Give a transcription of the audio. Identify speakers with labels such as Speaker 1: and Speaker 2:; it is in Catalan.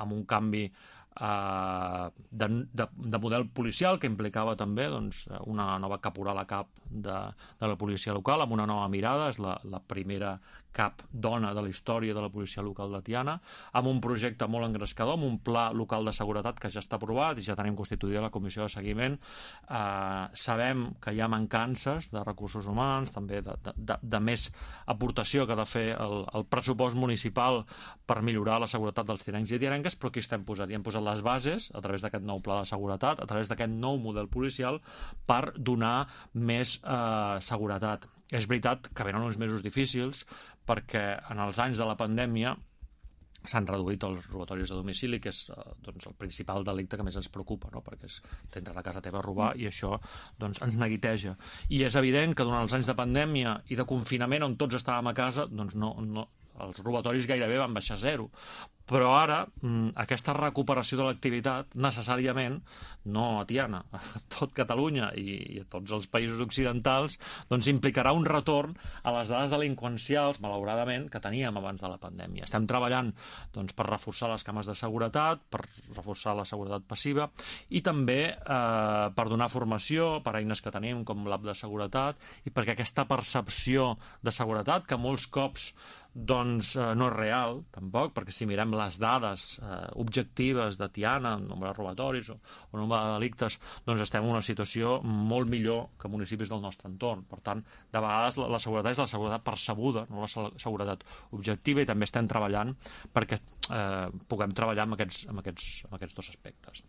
Speaker 1: amb un canvi de model policial que implicava també una nova caporal a cap de la policia local, amb una nova mirada. És la primera cap dona de la història de la policia local de Tiana, amb un projecte molt engrescador, amb un pla local de seguretat que ja està aprovat i ja tenim constituïda la comissió de seguiment. Sabem que hi ha mancances de recursos humans, també de més aportació que ha de fer el pressupost municipal per millorar la seguretat dels tianencs i tianenques, però aquí estem posat. I hem posat les bases a través d'aquest nou pla de seguretat, a través d'aquest nou model policial, per donar més seguretat. És veritat que venen uns mesos difícils perquè en els anys de la pandèmia s'han reduït els robatoris a domicili, que és el principal delicte que més ens preocupa, no? Perquè t'entra a la casa teva a robar i això ens neguiteja. I és evident que durant els anys de pandèmia i de confinament on tots estàvem a casa, els robatoris gairebé van baixar a zero. Però ara aquesta recuperació de l'activitat necessàriament, no a Tiana, a tot Catalunya i a tots els països occidentals, implicarà un retorn a les dades delinqüencials, malauradament, que teníem abans de la pandèmia. Estem treballant per reforçar les cames de seguretat, per reforçar la seguretat passiva i també per donar formació per eines que tenim com l'app de seguretat i perquè aquesta percepció de seguretat, que molts cops no és real, tampoc, perquè si mirem les dades objectives de Tiana, nombre de robatoris o nombre de delictes, estem en una situació molt millor que municipis del nostre entorn. Per tant, de vegades la seguretat és la seguretat percebuda, no la seguretat objectiva, i també estem treballant perquè puguem treballar amb aquests dos aspectes.